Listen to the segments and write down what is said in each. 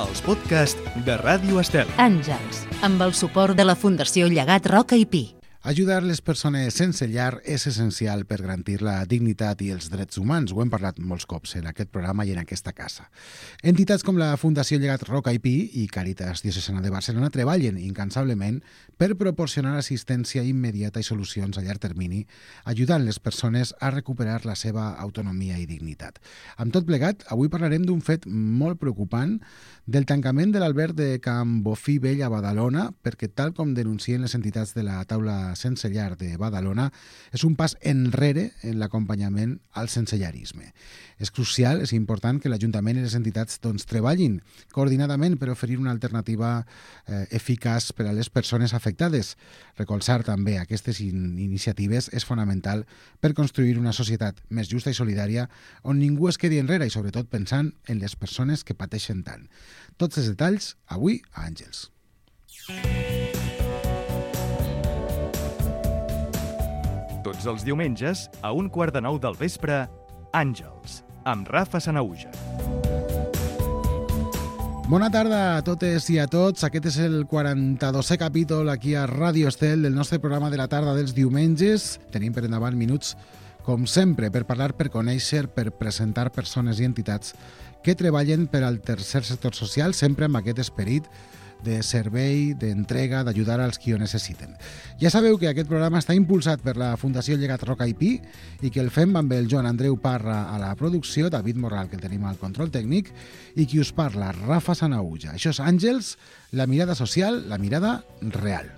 els podcasts de Ràdio Estel. Àngels, amb el suport de la Fundació Llegat Roca i Pi. Ajudar les persones sense llar és essencial per garantir la dignitat i els drets humans. Ho hem parlat molts cops en aquest programa i en aquesta casa. Entitats com la Fundació Llegat Roca i Pi i Càritas Diocesana de Barcelona treballen incansablement per proporcionar assistència immediata i solucions a llarg termini, ajudant les persones a recuperar la seva autonomia i dignitat. Amb tot plegat, avui parlarem d'un fet molt preocupant, del tancament de l'alberg de Can Bofí Vell a Badalona, perquè tal com denuncien les entitats de la taula sense llar de Badalona, és un pas enrere en l'acompanyament al sensellarisme. És crucial, és important que l'Ajuntament i les entitats treballin coordinadament per oferir una alternativa eficaç per a les persones afectades. Recolzar també aquestes iniciatives és fonamental per construir una societat més justa i solidària on ningú es quedi enrere i sobretot pensant en les persones que pateixen tant. Tots els detalls avui a Àngels. Tots els diumenges, a 8:45 del vespre, Àngels, amb Rafa Sanahuja. Bona tarda a totes i a tots. Aquest és el 42è capítol aquí a Ràdio Estel del nostre programa de la tarda dels diumenges. Tenim per endavant minuts, com sempre, per parlar, per conèixer, per presentar persones i entitats que treballen per al tercer sector social, sempre amb aquest esperit de servei, d'entrega, d'ajudar als qui ho necessiten. Ja sabeu que aquest programa està impulsat per la Fundació Llegat Roca i Pi i que el fem amb el Joan Andreu Parra a la producció, David Morral, que el tenim al control tècnic, i qui us parla, Rafa Sanahuja. Això és Àngels, la mirada social, la mirada real.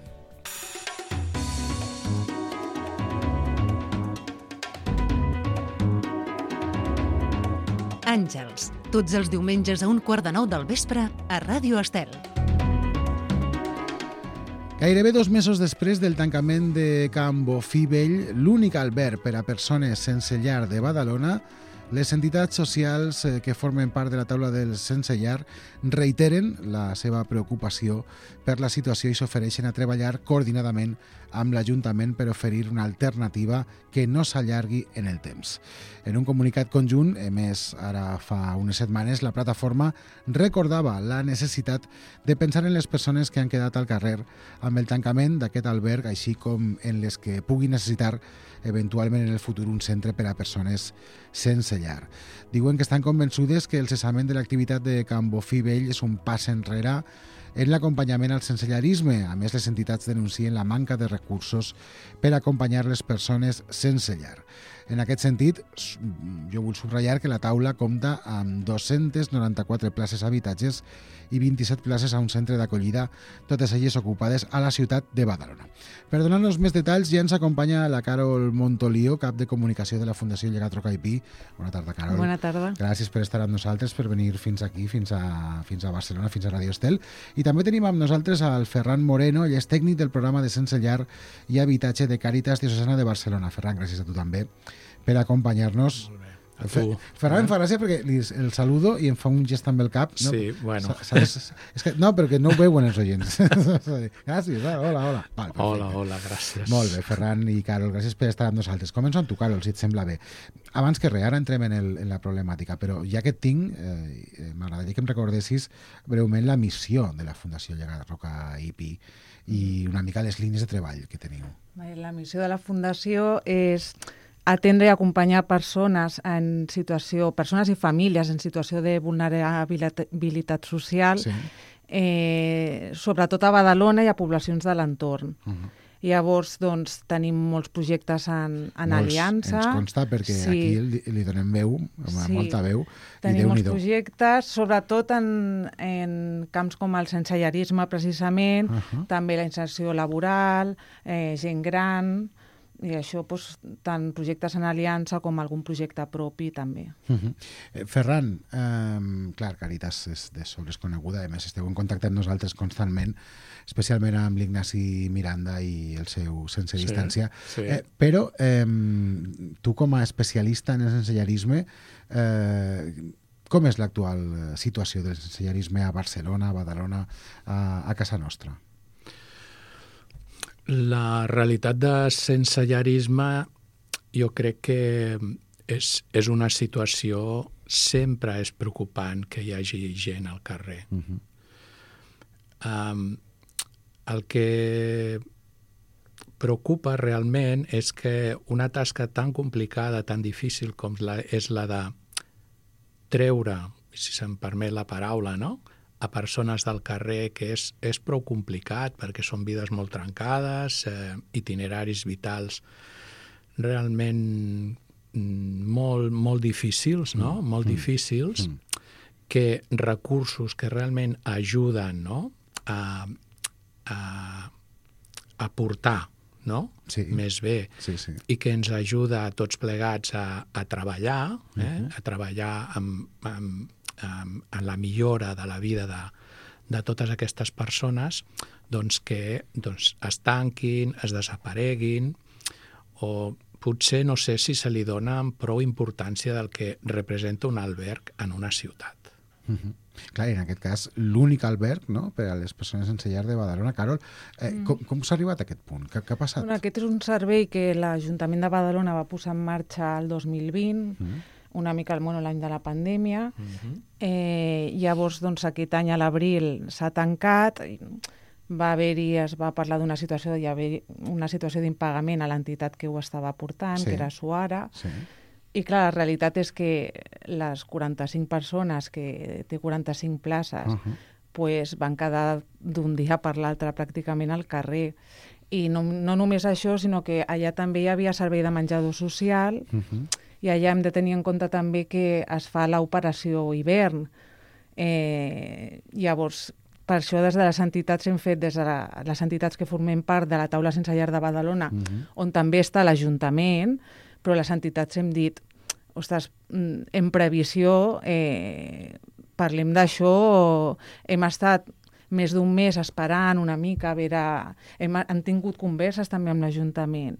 Àngels, tots els diumenges a 8:45 del vespre a Ràdio Estel. Gairebé 2 mesos després del tancament de Can Bofí Vell, l'únic alberg per a persones sense llar de Badalona, les entitats socials que formen part de la taula dels sense llar reiteren la seva preocupació per la situació i s'ofereixen a treballar coordinadament amb l'Ajuntament per oferir una alternativa que no s'allargui en el temps. En un comunicat conjunt, emès ara fa unes setmanes, la plataforma recordava la necessitat de pensar en les persones que han quedat al carrer amb el tancament d'aquest alberg, així com en les que puguin necessitar eventualment en el futur un centre per a persones sense llar. Diuen que estan convençudes que el cessament de l'activitat de Can Bofí Vell és un pas enrere en l'acompanyament al sensellarisme. A més, les entitats denuncien la manca de recursos per acompanyar les persones sense llar. En aquest sentit, jo vull subratllar que la taula compta amb 294 places habitatges i 27 places a un centre d'acollida, totes elles ocupades a la ciutat de Badalona. Per donar-nos més detalls, ja ens acompanya la Carol Montolio, cap de comunicació de la Fundació Llegat Roca i Pi. Bona tarda, Carol. Bona tarda. Gràcies per estar amb nosaltres, per venir fins aquí, fins a Barcelona, fins a Ràdio Estel. I també tenim amb nosaltres al Ferran Moreno, ell és tècnic del programa de Sense Llar i Habitatge de Càritas Diocesana de Barcelona. Ferran, gràcies a tu també per acompanyar-nos. Molt bé. A tu. Ferran em fa gràcia perquè el saludo i em fa un gest amb el cap. No? Sí, bueno. És que, no, perquè no ho veuen els oients. Gràcies, hola. Val, hola, gràcies. Molt bé, Ferran i Carol, gràcies per estar amb nosaltres. Començo amb tu, Carol, si et sembla bé. Abans que res, ara entrem en la problemàtica, però ja que et tinc, m'agradaria que em recordessis breument la missió de la Fundació Llegat Roca i Pi i una mica les línies de treball que teniu. La missió de la Fundació és atendre i acompanyar persones i famílies en situació de vulnerabilitat social, sí. Sobretot a Badalona i a poblacions de l'entorn. Llavors, doncs, tenim molts projectes en aliança. Ens consta perquè sí. Aquí li donem veu, molta veu. Tenim molts projectes, sobretot en camps com el sensellarisme, precisament, també la inserció laboral, gent gran, i això, doncs, tant projectes en aliança com algun projecte propi també. Ferran, clar, Càritas és de sobres coneguda, a més esteu en contacte amb nosaltres constantment, especialment amb l'Ignasi Miranda i el seu Sense Distància, sí. Però tu com a especialista en el sensellarisme, com és l'actual situació del sensellarisme a Barcelona, a Badalona, a casa nostra? La realitat de sensellarisme jo crec que és una situació sempre és preocupant que hi hagi gent al carrer. El que preocupa realment és que una tasca tan complicada, tan difícil com és la de treure, si se'm permet la paraula, no?, a persones del carrer, que és prou complicat perquè són vides molt trencades, itineraris vitals realment molt difícils, no? Molt difícils, que recursos que realment ajuden, no?, a portar, no?, més bé, i que ens ajuda a tots plegats a treballar, a treballar en la millora de la vida de totes aquestes persones, doncs que es tanquin, es desapareguin, o potser no sé si se li dona prou importància del que representa un alberg en una ciutat. Clar, en aquest cas, l'únic alberg, no?, per a les persones sense llar de Badalona. Carol, com s'ha arribat a aquest punt? Què ha passat? Bueno, aquest és un servei que l'Ajuntament de Badalona va posar en marxa el 2020, una mica l'any de la pandèmia. Llavors, doncs, aquest any a l'abril s'ha tancat, es va parlar d'una situació, hi havia una situació d'impagament a l'entitat que ho estava portant, que era Suara. I clar, la realitat és que les 45 persones, que té 45 places, pues van quedar d'un dia per l'altre pràcticament al carrer. I no només això, sinó que allà també hi havia servei de menjador social, i allà hem de tenir en compte també que es fa l'operació hivern. Llavors, per això des de les entitats hem fet, des de les entitats que formem part de la taula sense llar de Badalona, on també està l'Ajuntament, però les entitats hem dit, ostres, en previsió, parlem d'això, hem estat més d'un mes esperant una mica, a veure, han tingut converses també amb l'Ajuntament.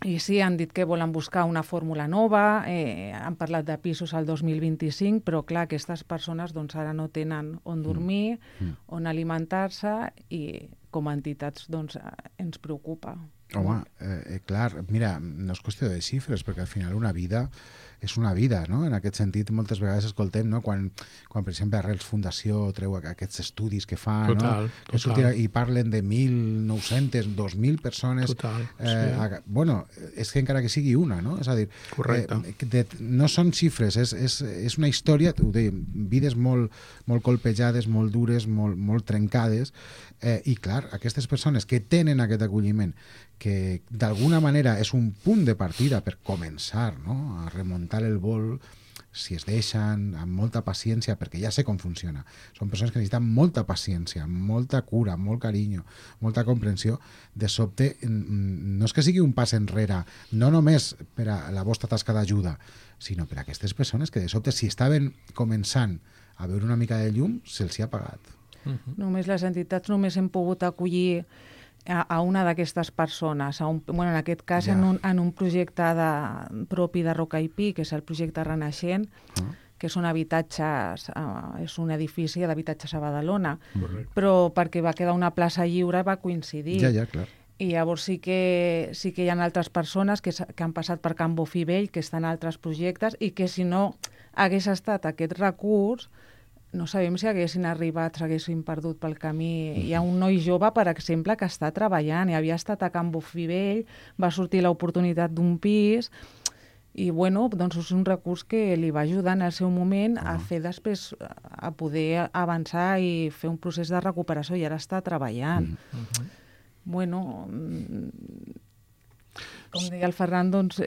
I sí, han dit que volen buscar una fórmula nova, han parlat de pisos al 2025, però clar, aquestes persones doncs, ara no tenen on dormir, on alimentar-se, i com a entitats doncs, ens preocupa. Home, clar, mira, no és qüestió de xifres, perquè al final una vida és una vida, no? En aquest sentit, moltes vegades escoltem, no?, quan per exemple, Arrels Fundació treu aquests estudis que fa, total, no?, que surten i parlen de 1.900, 2.000 persones. Total, bueno, és que encara que sigui una, no? És a dir, no són xifres, és una història, ho dèiem, vides molt colpejades, molt dures, molt trencades, i clar, aquestes persones que tenen aquest acolliment, que d'alguna manera és un punt de partida per començar, no?, a remuntar el vol, si es deixen, amb molta paciència, perquè ja sé com funciona. Són persones que necessiten molta paciència, molta cura, molt carinyo, molta comprensió. De sobte, no és que sigui un pas enrere, no només per a la vostra tasca d'ajuda, sinó per a aquestes persones que de sobte, si estaven començant a veure una mica de llum, se'ls hi ha apagat. Només les entitats només hem pogut acollir a una d'aquestes persones, en aquest cas en un projecte propi de Roca i Pi, que és el projecte Renaixent, que són habitatges, és un edifici d'habitatges a Badalona, però perquè va quedar una plaça lliure va coincidir. Ja, clar. I llavors sí que hi ha altres persones que han passat per Can Bofí Vell, que estan en altres projectes, i que si no hagués estat aquest recurs, no sabem si haguessin arribat, s'haguessin perdut pel camí. Hi ha un noi jove, per exemple, que està treballant i havia estat a Can Bofí Vell, va sortir l'oportunitat d'un pis i, bueno, doncs és un recurs que li va ajudar en el seu moment a fer després, a poder avançar i fer un procés de recuperació, i ara està treballant. Bueno, com deia el Ferran, doncs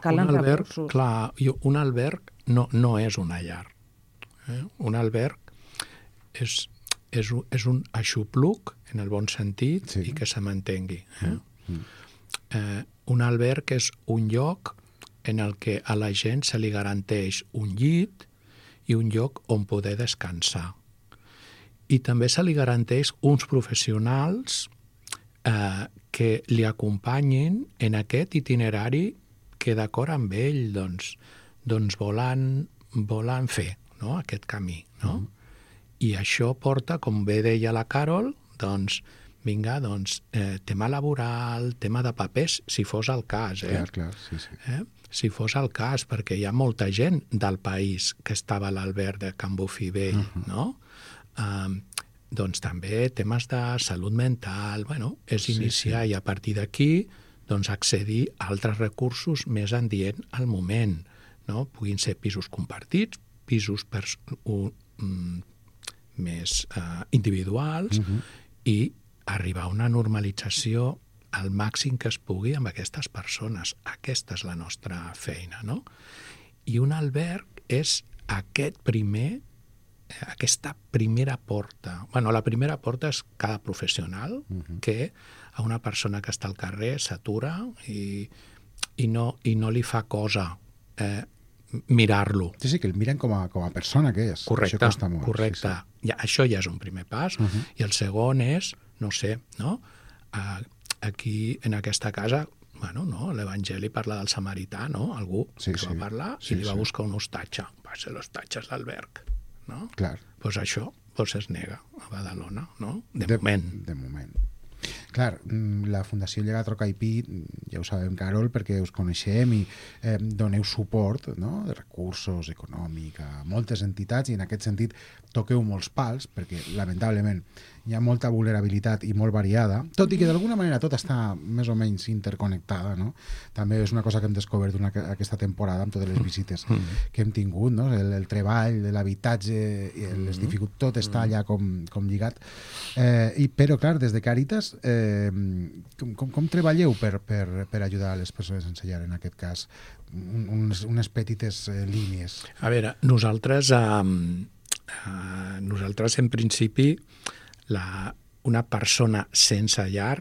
calen recursos. Clar, un alberg no és una llar. Un alberg és un aixopluc, en el bon sentit, i que se m'entengui. Un alberg és un lloc en el que a la gent se li garanteix un llit i un lloc on poder descansar. I també se li garanteix uns professionals que li acompanyin en aquest itinerari que d'acord amb ell doncs volen fer, no?, aquest camí, no? I això porta, com bé deia la Carol, doncs, vinga, tema laboral, tema de papers, si fos el cas, Clar, sí. si fos el cas, perquè hi ha molta gent del país que estava a l'alberg de Can Bofill Vell, no? Doncs també temes de salut mental, bueno, és iniciar i a partir d'aquí doncs accedir a altres recursos més adient al moment, no? Puguin ser pisos compartits, pisos més individuals i arribar a una normalització al màxim que es pugui amb aquestes persones. Aquesta és la nostra feina, no? I un alberg és aquesta primera porta. Bueno, la primera porta és cada professional que a una persona que està al carrer s'atura i no li fa cosa mirar-lo. Sí, que el miren com a persona que és. Correcte, això costa molt. correcte. Sí. Ja, això ja és un primer pas. I el segon és, no sé, no? Aquí, en aquesta casa, bueno, no, l'Evangeli parla del samarità, no? Algú que va parlar i li va buscar un hostatge. Va ser l'hostatge d'alberg, no? Clar. Doncs això es nega a Badalona, no? De moment. De moment. Clar, la Fundació Llegat Roca i Pi, ja ho sabem, Carol, perquè us coneixem i doneu suport, no?, de recursos econòmics a moltes entitats i en aquest sentit toqueu molts pals perquè, lamentablement, hi ha molta vulnerabilitat i molt variada, tot i que d'alguna manera tot està més o menys interconnectada, no? També és una cosa que hem descobert aquesta temporada amb totes les visites que hem tingut, no? El treball, l'habitatge, les dificultats, tot està allà com lligat. Però, clar, des de Càritas, com treballeu per ajudar les persones sense llar, en aquest cas? Unes petites línies. A veure, nosaltres en principi una persona sense llar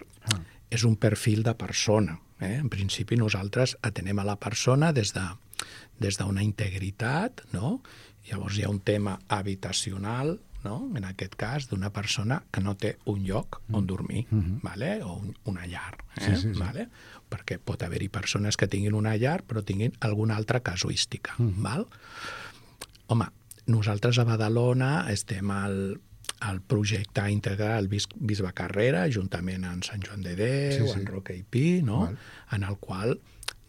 és un perfil de persona. En principi nosaltres atenem a la persona des d'una integritat, no? Llavors hi ha un tema habitacional, no? En aquest cas, d'una persona que no té un lloc on dormir, vale? O una llar. Sí. Vale? Perquè pot haver-hi persones que tinguin una llar però tinguin alguna altra casuística. Val? Home, nosaltres a Badalona estem al projecte integral Bisbe Carrera, juntament amb Sant Joan de Déu, amb Roca i Pi, no? En el qual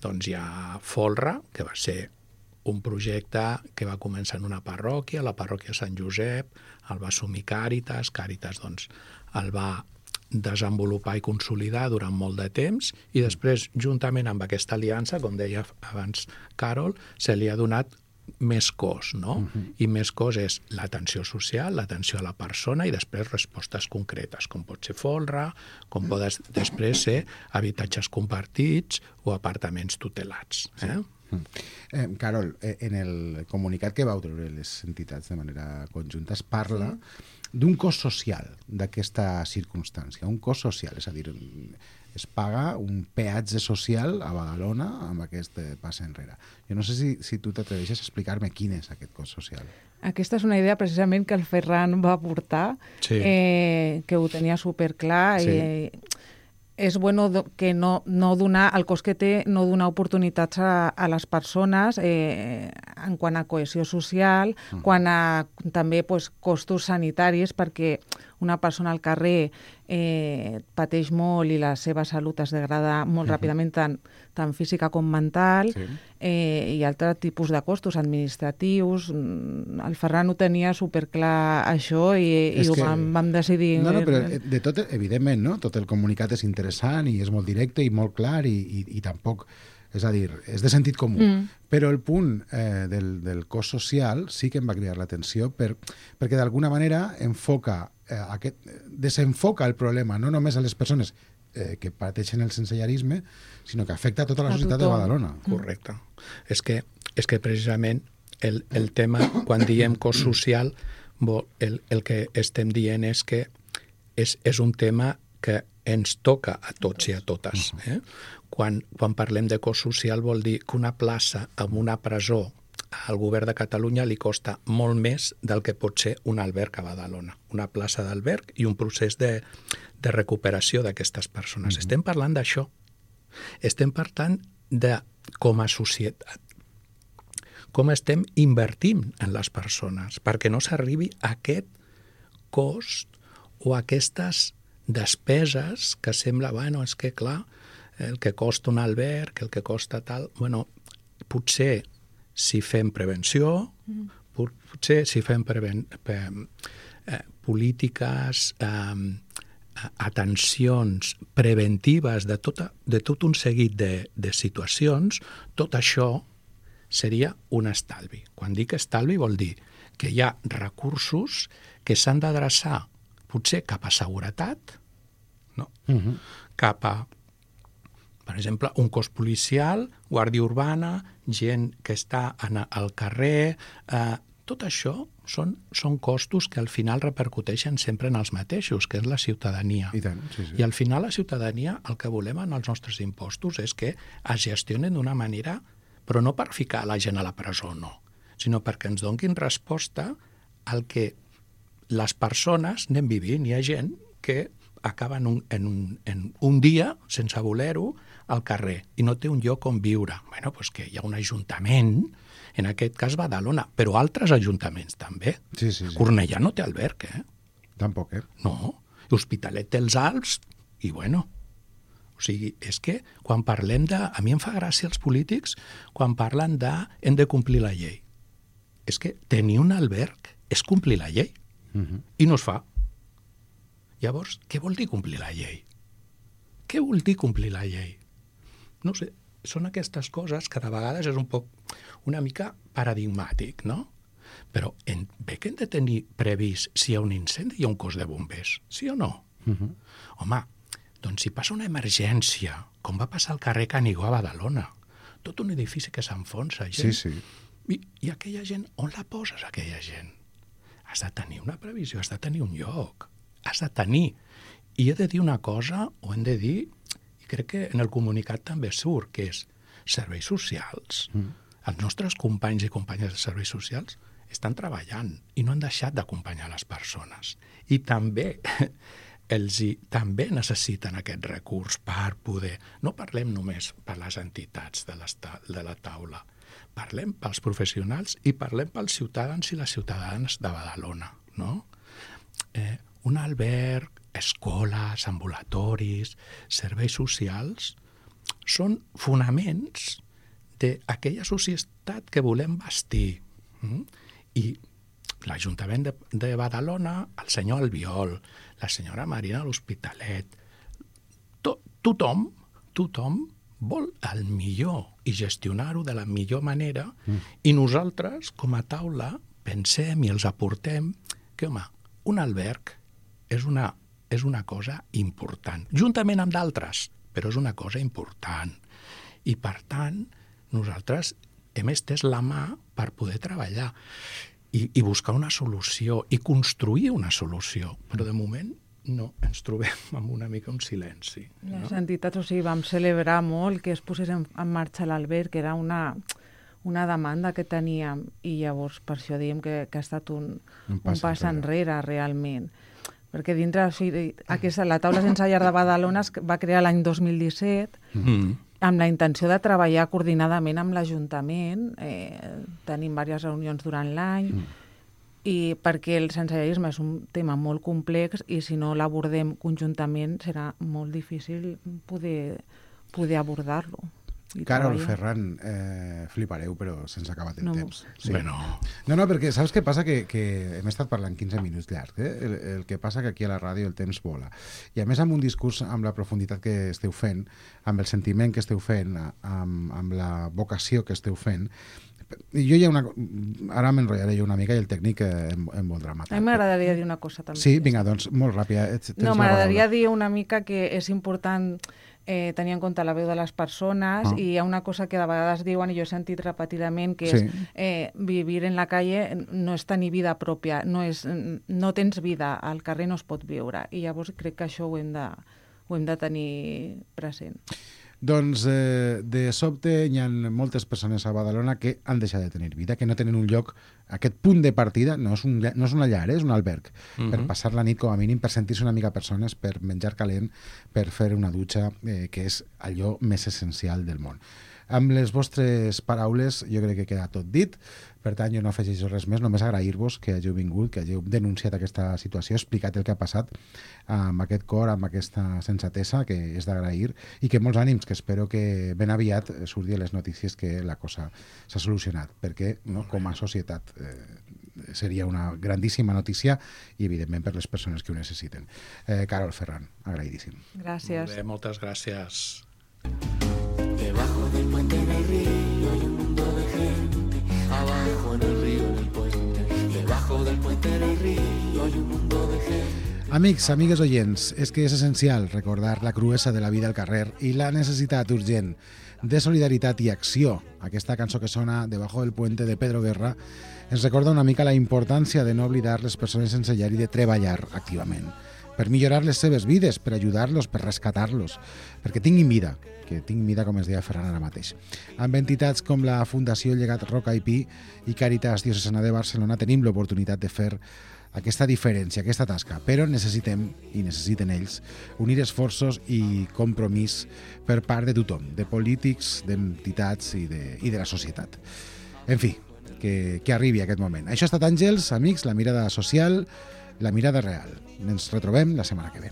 doncs, hi ha Folra, que va ser un projecte que va començar en una parròquia, la parròquia Sant Josep, el va assumir Càritas doncs, el va desenvolupar i consolidar durant molt de temps i després, juntament amb aquesta aliança, com deia abans Carol, se li ha donat més cos, no? I més cos és l'atenció social, l'atenció a la persona i després respostes concretes, com pot ser folre, com poden després ser habitatges compartits o apartaments tutelats. Carol, en el comunicat que vau treure les entitats de manera conjunta es parla d'un cost social d'aquesta circumstància, un cost social, és a dir, es paga un peatge social a Badalona amb aquest pas enrere. Jo no sé si tu t'atreveixes a explicar-me quin és aquest cost social. Aquesta és una idea precisament que el Ferran va portar, que ho tenia superclar. És bueno que no donar, el cost que té no donar oportunitats a les persones en quant a cohesió social, quant a també costos sanitaris, perquè una persona al carrer pateix molt i la seva salut es degrada molt ràpidament, tant física com mental, i altres tipus de costos administratius. El Ferran ho tenia superclar això i vam decidir... No, però de tot, evidentment, no? Tot el comunicat és interessant i és molt directe i molt clar i tampoc... És a dir, és de sentit comú. Però el punt del cost social sí que em va cridar l'atenció perquè d'alguna manera desenfoca el problema, no només a les persones que pateixen el sensellarisme, sinó que afecta a tota la societat de Badalona. Correcte. És que precisament el tema, quan diem cost social, el que estem dient és que és un tema que ens toca a tots i a totes. Quan parlem de cost social vol dir que una plaça en una presó al govern de Catalunya li costa molt més del que pot ser un alberg a Badalona. Una plaça d'alberg i un procés de recuperació d'aquestes persones. Estem parlant d'això. Estem parlant de, com a societat, com estem invertint en les persones perquè no s'arribi a aquest cost o a aquestes despeses que sembla, bueno, és que clar, el que costa un alberg, el que costa tal... Bueno, potser si fem prevenció, potser si fem polítiques, atencions preventives de tot un seguit de situacions, tot això seria un estalvi. Quan dic estalvi vol dir que hi ha recursos que s'han d'adreçar potser cap a seguretat, no? Cap a, per exemple, un cos policial, guàrdia urbana, gent que està al carrer... Tot això són costos que al final repercuteixen sempre en els mateixos, que és la ciutadania. I tant, sí. I al final la ciutadania el que volem en els nostres impostos és que es gestionen d'una manera, però no per ficar la gent a la presó, no, sinó perquè ens donguin resposta al que les persones anem vivint. Hi ha gent que acaba en un dia, sense voler-ho, al carrer i no té un lloc on viure. Bé, doncs que hi ha un ajuntament, en aquest cas Badalona, però altres ajuntaments també. Sí. Cornellà no té alberg, Tampoc, No. L'Hospitalet té els Alps i, bueno, o sigui, és que quan parlem de... A mi em fa gràcia els polítics quan parlen de hem de complir la llei. És que tenir un alberg és complir la llei. I no es fa. Llavors, què vol dir complir la llei? Què vol dir complir la llei? No sé, són aquestes coses que de vegades és una mica paradigmàtic, no? Però bé que hem de tenir previst si hi ha un incendi i un cos de bombers, sí o no? Home, doncs si passa una emergència, com va passar al carrer Canigó a Badalona, tot un edifici que s'enfonsa. Sí. I aquella gent, on la poses, aquella gent? Has de tenir una previsió, has de tenir un lloc, has de tenir. I he de dir una cosa, o hem de dir, i crec que en el comunicat també surt, que és serveis socials. Els nostres companys i companyes de serveis socials estan treballant i no han deixat d'acompanyar les persones. I també també necessiten aquest recurs per poder... No parlem només per les entitats de la taula, parlem pels professionals i parlem pels ciutadans i les ciutadanes de Badalona, no? Un alberg, escoles, ambulatoris, serveis socials, són fonaments d'aquella societat que volem bastir. I l'Ajuntament de Badalona, el senyor Albiol, la senyora Marina a l'Hospitalet, tothom vol el millor i gestionar-ho de la millor manera i nosaltres, com a taula, pensem i els aportem que, home, un alberg és una cosa important, juntament amb d'altres, però és una cosa important. I, per tant, nosaltres hem estès la mà per poder treballar i buscar una solució i construir una solució. Però, de moment, no, ens trobem amb una mica un silenci. Les entitats, o sigui, vam celebrar molt que es posés en marxa l'alberg, que era una demanda que teníem, i llavors per això diem que ha estat un pas enrere, realment. Perquè dintre, o sigui, la taula sense llar de Badalona es va crear l'any 2017 amb la intenció de treballar coordinadament amb l'Ajuntament. Tenim diverses reunions durant l'any i perquè el sensellarisme és un tema molt complex i si no l'abordem conjuntament serà molt difícil poder abordar-lo. Carol, Ferran, flipareu, però sense acabar el temps. Sí. Bueno. No, perquè saps què passa? Que hem estat parlant 15 minuts llarg. El que passa que aquí a la ràdio el temps vola. I a més amb un discurs, amb la profunditat que esteu fent, amb el sentiment que esteu fent, amb la vocació que esteu fent, jo ara m'enrotllaré jo una mica i el tècnic em voldrà matar. A mi m'agradaria dir una cosa també. Sí, vinga, doncs molt ràpida. No, m'agradaria dir una mica que és important tenir en compte la veu de les persones i hi ha una cosa que de vegades diuen i jo he sentit repetidament que és vivir en la calle no és tenir vida pròpia, no tens vida, al carrer no es pot viure i llavors crec que això ho hem de tenir present. Doncs de sobte hi ha moltes persones a Badalona que han deixat de tenir vida, que no tenen un lloc, aquest punt de partida, no és una llar, és un alberg, per passar la nit com a mínim, per sentir-se una mica persones, per menjar calent, per fer una dutxa, que és allò més essencial del món. Amb les vostres paraules jo crec que queda tot dit, per tant jo no afegeixo res més, només agrair-vos que hàgiu vingut, que hàgiu denunciat aquesta situació, explicat el que ha passat amb aquest cor, amb aquesta sensatesa, que és d'agrair, i que molts ànims, que espero que ben aviat surti a les notícies que la cosa s'ha solucionat, perquè com a societat seria una grandíssima notícia i evidentment per les persones que ho necessiten. Carol Ferran, agraïdíssim. Gràcies. Molt bé, moltes gràcies. Debajo del puente en el río hay un mundo de gente. Abajo en el río, en el puente. Debajo del puente en el río hay un mundo de gente. Amics, amigues oients, és que és essencial recordar la cruesa de la vida al carrer i la necessitat urgent de solidaritat i acció. Aquesta cançó que sona Debajo del puente de Pedro Guerra ens recorda una mica la importància de no oblidar les persones sense llar i de treballar activament per millorar les seves vides, per ajudar-los, per rescatar-los, perquè tinguin vida, que tinguin vida, com es deia Ferran ara mateix. Amb entitats com la Fundació Llegat Roca i Pi i Càritas Diocesana de Barcelona tenim l'oportunitat de fer aquesta diferència, aquesta tasca, però necessitem, i necessiten ells, unir esforços i compromís per part de tothom, de polítics, d'entitats i de la societat. En fi, que arribi aquest moment. Això ha estat Àngels, amics, la mirada social, la mirada real. Ens retrobem la setmana que ve.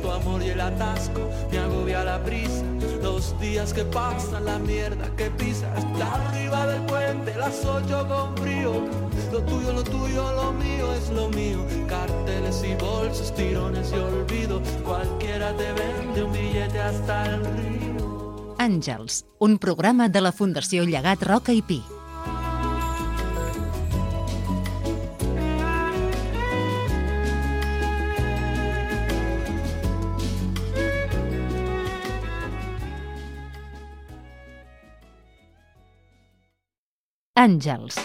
Tu amor y el atasco me agobia la prisa. Los días que pasan, la mierda que pisas. Arriba del puente, las 8 con frío. Lo tuyo, lo mío es lo mío. Carteles y bolsos, tirones y olvido. Cualquiera te vende un billete hasta el río. Àngels, un programa de la Fundació Llegat Roca i Pi. Àngels,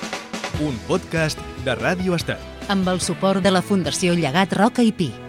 un podcast de Ràdio Estat. amb el suport de la Fundació Llegat Roca i Pi.